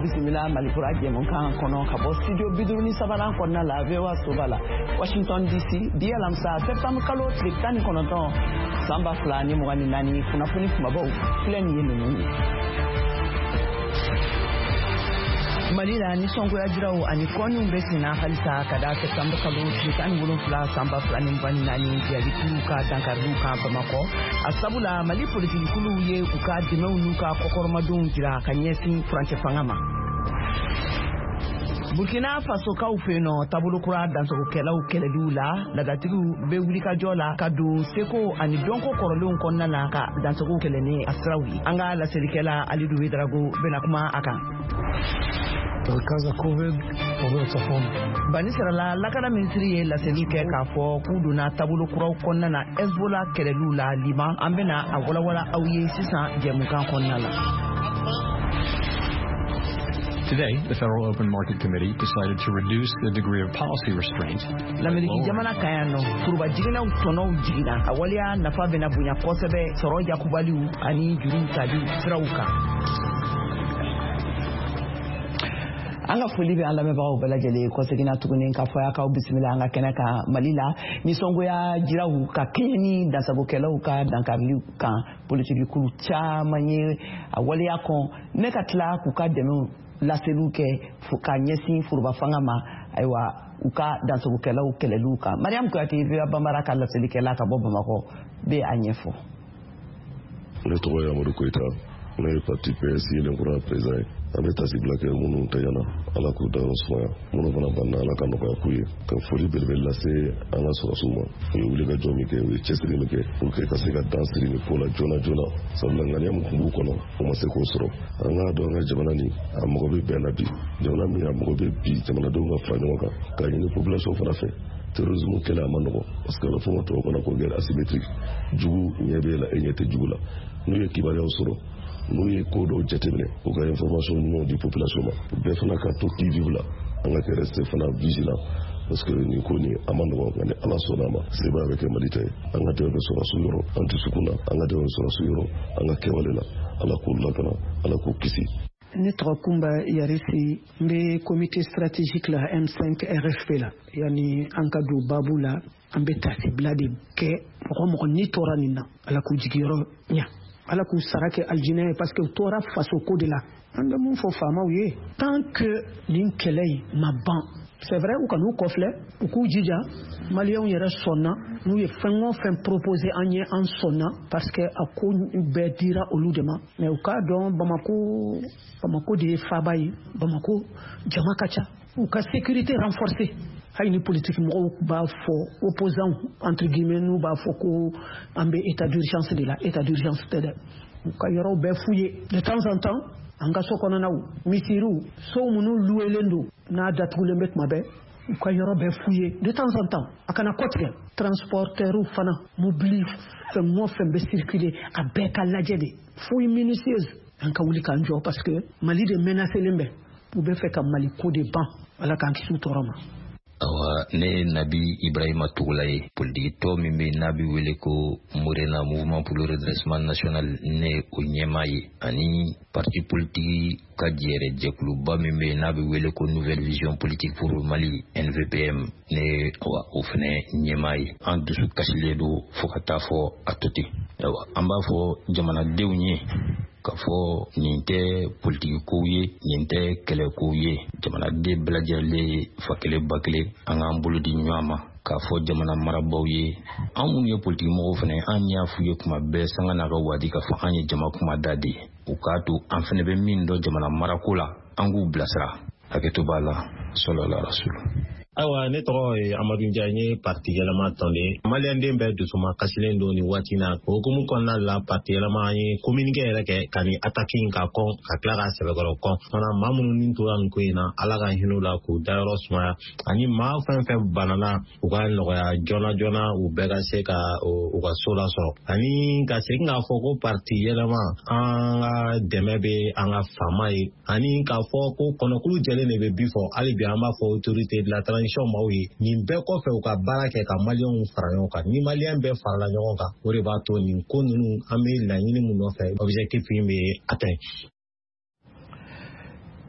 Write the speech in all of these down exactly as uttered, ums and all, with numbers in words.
Bisimila Malikura jɛmukan kɔnɔ ka bɔ studio bi duuru ni sabanan kɔnɔna la, V O A soba la, Washington D C. Bi alamisa, septembre kalo tile tan ni kɔnɔntɔn, san ba fila ni mugan ni naani, kunnafoni kumabaw filɛ nin ye ninnu ye. Mali la, nisɔngoya jiraw ani kɔniw bɛ senna halisa ka da septembre kalo tile tan ni wolonfila, san ba fila ni mugan ni naani jihadikuluw ka dankariliw kan Bamakɔ. A sabu la, Mali politikikuluw ye u ka dɛmɛw n'u ka kɔkɔrɔmadonw jira ka ɲɛsin furancɛ fanga ma. Burkina Fasokaw fɛ yen nɔ, taabolo kura dansagokɛlaw kɛlɛliw la, ladatigiw bɛ wulikajɔ la ka don seko ani dɔnko kɔrɔlenw kɔnɔna na ka dansagow kɛlɛ ni a siraw ye. An ka laselikɛla Alidu Wedrago bɛna kuma a kan. מרכז הכובד עובר צפון. Banisirala lakana minisiri ye laseli kɛ k'a fɔ k'u donna taabolo kuraw kɔnɔna na Hezbollah kɛlɛliw la Liban. An bɛna a walawala aw ye sisan jɛmukan kɔnɔna la. Today, the Federal Open Market Committee decided to reduce the degree of policy restraint. Lameriki jamana kan yan nɔ, foroba jiginɛw tɔnɔw jiginna. A waleya nafa bɛna bonya kosɛbɛ sɔrɔ yakubaliw ani juruw taliw siraw kan. An ka foli bɛ an lamɛnbagaw bɛɛ lajɛlen. Kɔseginna tuguni k'a fɔ y'a k'aw bisimila an ka kɛnɛ kan. Mali la, nisɔngoya jiraw ka kɛɲɛ ni dansagokɛlaw ka dankariliw kan, politikikulu caman ye a waleya kɔn ne ka tila k'u ka dɛmɛw laseliw kɛ ka ɲɛsin foroba fanga ma, ayiwa, u ka dansagokɛlaw kɛlɛliw kan. Mariam Kuyate, V O A Bambara ka laselikɛla ka bɔ Bamakɔ, bɛ a ɲɛfɔ. Ne tɔgɔ ye Amadu Koyita, ne ye parti P S Yelenkura président ye. An bɛ tasibila kɛ minnu tɛɲɛna, Ala k'u dayɔrɔ sumaya, minnu fana banna, Ala ka nɔgɔya k'u ye. Ka foli belebele lase an ka sɔrɔsiw ma. U ye wulikajɔ min kɛ, u ye cɛsiri min kɛ pour que ka se ka dan siri nin ko la joona joona, sabula ŋaniya min tun b'u kɔnɔ, u ma se k'o sɔrɔ. An k'a dɔn, an ka jamana nin, a mago bɛ bɛn na bi. Jamana min a mago bɛ bi, jamanadenw ka fara ɲɔgɔn kan k'a ɲini population fana fɛ. Terrorisme kɛlɛ a ma nɔgɔ, parce que a bɛ fɔ o ma tubabukan na ko guerre asymétrique. Jugu ɲɛ b'e la, e ɲɛ tɛ jugu la. N'u ye kibaruyaw sɔrɔ, n'u ye ko dɔw jateminɛ, u ka information ɲumanw di population ma. Bɛɛ fana ka to qui vive la, an ka kɛ rester fana vigilant, parce que nin ko nin a ma nɔgɔ, nka ni Ala sɔnna a ma, sebaya bɛ kɛ Mali ta ye. An ka dɛmɛ bɛ sɔrɔsiw yɔrɔ, an dusukun na, an ka dɛmɛ bɛ sɔrɔsiw yɔrɔ, an ka kɛwale la. Ala k'u lakana, Ala k'u kisi. Ne tɔgɔ Kunba Yarisi, n bɛ comité stratégique la M cinq R F P la. Yani an ka don babu la, an bɛ tasibila de kɛ mɔgɔ mɔgɔ ni tora nin na, Ala k'u jigiyɔrɔ ɲa, Ala k'u sara kɛ alijinɛ ye, parce que u tora faso ko de la. An bɛ mun fɔ faamaw ye? Tant que nin kɛlɛ in ma ban, c'est vrai, u kan'u kɔfilɛ, u k'u jija. Maliyɛnw yɛrɛ sɔnna, n'u ye fɛn o fɛn proposé an ye, an sɔnna, parce que a ko bɛɛ dira olu de ma. Mais u k'a dɔn, Bamako, Bamako de ye faaba ye, Bamako jama ka ca, u ka sécurité renforcée. Hali ni politique mɔgɔw b'a fɔ, opposants entre guillemets, n'u b'a fɔ ko an bɛ état d'urgence de la, état d'urgence tɛ dɛ. U ka yɔrɔw bɛɛ f'u ye de temps en temps. An ka so kɔnɔnaw, misiriw, sow minnu luwelen don n'a datugulen bɛ tuma bɛɛ, u ka yɔrɔ bɛɛ f'u ye de temps en temps, a kana kɔtigɛ. Transporteurw fana, mobili fɛn o fɛn bɛ circuler, a bɛɛ ka lajɛ de, fouille minutieuse. An ka wuli k'an jɔ, parce que Mali de menacelen bɛ, u bɛ fɛ ka Mali ko de ban. Ala k'an kisi u tɔɔrɔ ma. Awa, ne ye Nabi Ibrahima Tugula ye. Politiki tɔ min bɛ n'a bɛ wele ko Morena, Mouvement pour le Redressement National, ne ye o ɲɛmaa ye, ani parti politique ka jɛrɛ jɛkuluba min bɛ n'a bɛ wele ko Nouvelle Vision Politique pour le Mali, N V P M, ne ye awa o fɛnɛ ɲɛmaa ye. An dusu kasilen don fo ka taa fɔ a to ten. Awa, an b'a fɔ jamanadenw ye k'a fɔ nin tɛ politiki kow ye, nin tɛ kɛlɛkow ye. Jamanaden bɛɛ lajɛlen ye fa kelen ba kelen, an k'an bolo di ɲɔgɔn ma k'a fɔ jamana marabaaw ye. An minnu ye politiki mɔgɔw fana, an y'a f'u ye kuma bɛɛ, sanga n'a ka waati, k'a fɔ an ye jama kumada de ye. U k'a to an fana bɛ min dɔn jamana marako la, an k'u bilasira. Hakɛto b'a la, sɔlɔla rasulu. Ayiwa, ne tɔgɔ ye Amadu Njaye, n ye parti Yɛlɛma tɔnden. Maliyɛnden bɛɛ dusuma kasilen don nin waati na. O hukumu kɔnɔna la, parti Yɛlɛma, an ye communiqué yɛrɛ kɛ ka nin attaque in ka kɔn, ka tila k'a sɛbɛkɔrɔ kɔn fana. Maa minnu ni tora nin ko in na, Ala ka hinɛ u la k'u dayɔrɔ sumaya, ani maa fɛn fɛn banana, u ka nɔgɔya joona joona, u bɛɛ ka se ka u ka so lasɔrɔ. Ani ka segin k'a fɔ ko parti Yɛlɛma, an ka dɛmɛ bɛ an ka faama ye, ani k'a fɔ ko kɔnɔkulu jɛlen de bɛ bi fɔ. Hali bi an b'a fɔ autorité de la transition maaw ye, nin bɛɛ kɔfɛ, u ka baara kɛ ka maliyɛnw fara ɲɔgɔn kan. Ni maliyɛn bɛɛ farala ɲɔgɔn kan, o de b'a to nin ko ninnu, an bɛ laɲini mun nɔfɛ, objectif in bɛ atteint.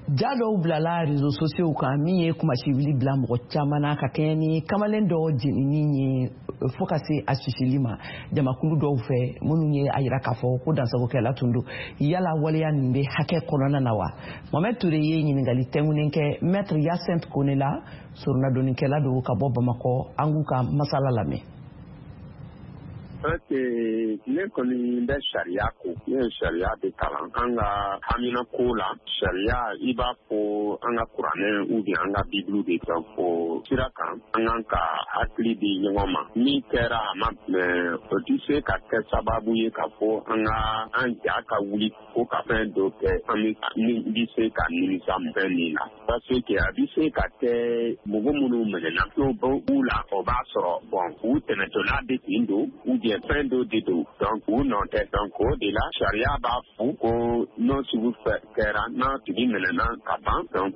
Ja dɔw bilala réseaux sociaux kan min ye kumasiwili bila mɔgɔ caman na ka kɛɲɛ ni kamalen dɔ jenini ye fo ka se a sisili ma jamakulu dɔw fɛ, minnu ye a yira k'a fɔ ko dansagokɛla tun don. Yala waleya nin bɛ hakɛ kɔnɔna na wa? Mohamed Touré ye ɲininkali tɛnkunnen kɛ Maître Yacinthe Kone la, soronadonnikɛla don ka bɔ Bamakɔ. An k'u ka masala lamɛn. Ok, ne kɔni bɛ sariya ko, ne ye sariya de kalan. An ka hamina ko la, sariya i b'a fɔ an ka kuranɛ ou bien an ka bibulu de kan fo sira kan, an kan ka hakili di ɲɔgɔn ma. Min kɛra a ma mɛ, o tɛ se ka kɛ sababu ye ka fɔ an ka an ja ka wuli ko ka fɛn dɔ kɛ an bɛ min bɛ se ka nimisa fɛn min na, parce que a bɛ se ka kɛ mɔgɔ minnu minɛna n'o b'u la, o b'a sɔrɔ bon, u tɛmɛtɔla de tun don ou bien fɛn dɔ de don, donc u nɔ tɛ. Donc o de la sariya b'a fɔ ko n'o sugu kɛra, n'a tigi minɛna ka ban, donc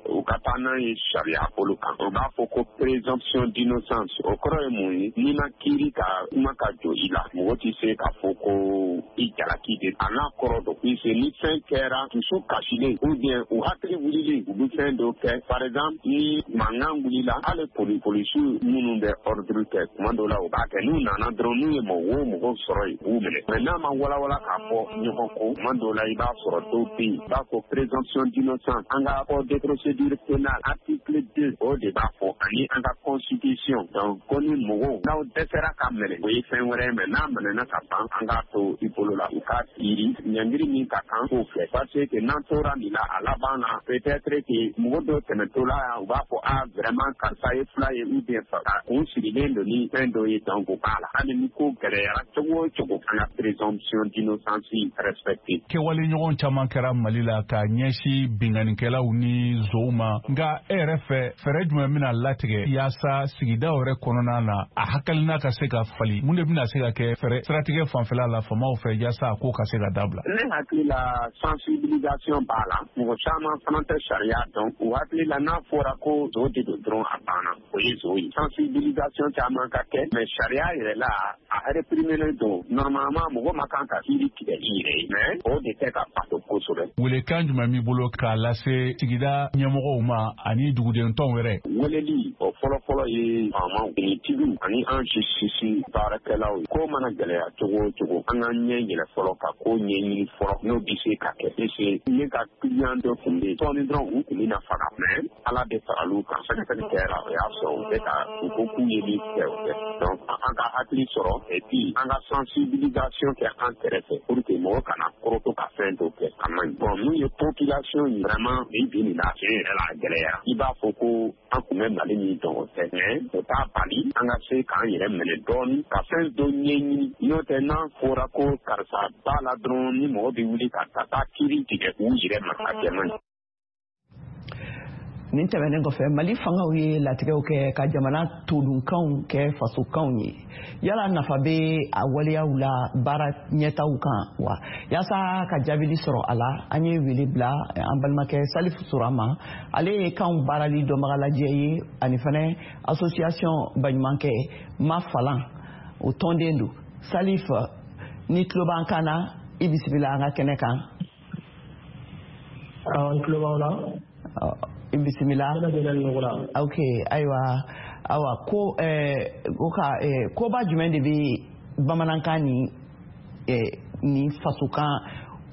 u ka taa n'a ye sariya bolo kan. O b'a fɔ ko présomption d'innocence. O kɔrɔ ye mun ye? N'i ma kiiri ka kuma ka jɔ i la, mɔgɔ tɛ se k'a fɔ ko i jalaki de a n'a kɔrɔ don, puisque ni fɛn kɛra dusu kasilen ou bien u hakili wulilen, u bɛ fɛn dɔ kɛ. Par exemple, ni mankan wulila, hali poli polisiw minnu bɛ ordre kɛ, tuma dɔw la u b'a kɛ, n'u nana dɔrɔn, n'u ye mɔgɔ o mɔgɔ sɔrɔ yen, u b'u minɛ. Mais n'a ma walawala k'a fɔ ɲɔgɔn kɔ, tuma dɔw la i b'a sɔrɔ dɔw bɛ yen, i b'a fɔ présomption d'innocence. An ka code de procédure pénale article deux, o de b'a fɔ, ani an ka constitution. Donc ko ni mɔgɔw n'aw dɛsɛra ka minɛ, o ye fɛn wɛrɛ ye, mais n'a minɛna ka ban, an k'a to i bolo la, u k'a kiiri ɲangiri min ka kan k'o kɛ, parce que n'an tora nin la, a laban na peut-être que mɔgɔ dɔw tɛmɛtɔla yan, u b'a fɔ ah, vraiment, karisa ye fila ye ou bien a kun sirilen don ni fɛn dɔ ye. Donc o b'a la, hali ni ko gɛlɛyara cogo o cogo, an ka présomption d'innocence respecter. Kɛwale ɲɔgɔn caman kɛra Mali la ka ɲɛsin binkannikɛlaw ni zow ma. Nka e yɛrɛ fɛ, fɛɛrɛ jumɛn bɛna latigɛ yaasa sigidaw yɛrɛ kɔnɔna na, a hakilina ka se ka fali? Mun de bɛna se ka kɛ fɛɛrɛ siratigɛ fanfɛla la faamaw fɛ yaasa a ko ka se ka dabila? Ne hakili la, sensibilisation b'a la. Mɔgɔ caman fana tɛ sariya dɔn. U hakili la, n'a fɔra ko zo de don dɔrɔn, a banna, o ye zo ye. Sensibilisation caman ka kɛ, mais sariya yɛrɛ la, a réprimer don. Normalement, mɔgɔ ma kan ka kiiri tigɛ i yɛrɛ ye, mais o de tɛ ka bato kosɛbɛ. Welekan jumɛn b'i bolo k'a lase sigida ɲɛmɔgɔw ma ani duguden tɔnw yɛrɛ? Weleli o fɔlɔ-fɔlɔ ye faamaw, finitigiw ani an sisi baarakɛlaw ye. Ko mana gɛlɛya cogo o cogo, an ka ɲɛ yɛlɛ fɔlɔ ka ko ɲɛɲini fɔlɔ, n'o bɛ se ka kɛ, parce ne ka client dɔ tun bɛ yen, sɔɔni dɔrɔn u tun bɛna faga, mais Ala de faral'u kan. Sɛgɛsɛgɛli kɛra, o y'a sɔrɔ u bɛ ka u ko k'u ye min kɛ, o kɛ. Donc an ka hakili sɔrɔ et puis an ka sensibilisation kɛ an kɛrɛfɛ pour que mɔgɔ kana koroto ka fɛn dɔ kɛ, a man ɲi. Bon, mun ye population ye vraiment, bi bi nin na, tiɲɛ yɛrɛ la, a gɛlɛyara. I b'a fɔ ko an tun bɛ Mali min dɔn, o tɛ, mais o t'a bali an ka se k'an yɛrɛ minɛ dɔɔni ka fɛn dɔ ɲɛɲini. N'o tɛ, n'a fɔra ko karisa b'a la dɔrɔn, ni mɔgɔ bɛ wuli ka taa kiiri tigɛ u yɛrɛ ma, a kɛ man ɲi. Nin tɛmɛnen kɔfɛ, Mali fangaw ye latigɛw kɛ ka jamana todunkanw kɛ fasokanw ye. Yala nafa bɛ a waleyaw la baara ɲɛtaw kan wa? Yaasa ka jaabili sɔrɔ a la, an ye wele bila an balimakɛ Salifu Sora ma. Ale ye kanw baarali dɔnbagalajɛ ye, ani fɛnɛ association baɲumankɛ Ma Falan o tɔnden don. Salif, ni tulo b'an kan na, i bisimila an ka kɛnɛ kan. N tulo b'aw la. I bisimila. Ok, ayiwa, awa ko eh, ko ka eh, koba jumɛn de bɛ bamanankan ni eh, ni fasokan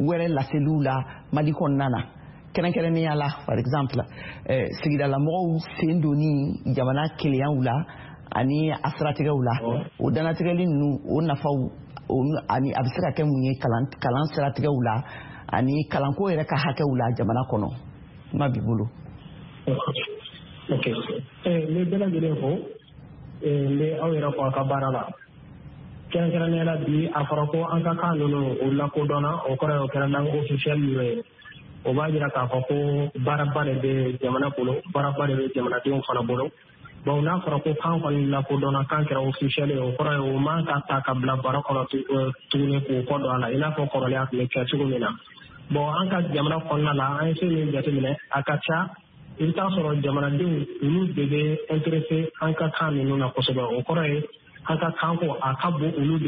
wɛrɛ laseliw la Mali kɔnɔna na, kɛrɛnkɛrɛnnenya la, par exemple eh, sigidalamɔgɔw sen donni jamana keleyaw la ani a siratigɛw la, o dannatigɛli ninnu, o nafaw ani a bɛ se ka kɛ mun ye kalan kalan siratigɛw la ani kalanko yɛrɛ ka hakɛw la jamana kɔnɔ? Kuma b'i bolo. Ok, n bɛ bɛɛ lajɛlen fo, n bɛ aw yɛrɛ fo a ka baara la. Kɛrɛnkɛrɛnnenya la, bi a fɔra ko an ka kan ninnu o lakodɔnna, o kɔrɔ ye o kɛra langue officielle ninnu ye. O b'a jira k'a fɔ ko baaraba de bɛ jamana bolo, baaraba de bɛ jamanadenw fana bolo. Bon, n'a fɔra ko kan kɔni lakodɔnna, kan kɛra officiel ye, o kɔrɔ ye o man ka ta ka bila baro kɔnɔ tuguni k'o kɔ don a la, i n'a fɔ kɔrɔlen a tun bɛ kɛ cogo min na. Bon, an ka jamana kɔnɔna la, an ye fɛn min jateminɛ, a ka ca, i bɛ taa sɔrɔ jamanadenw olu de bɛ intéressé an ka kan ninnu na kosɛbɛ. O kɔrɔ ye an ka kanko a ka bon olu de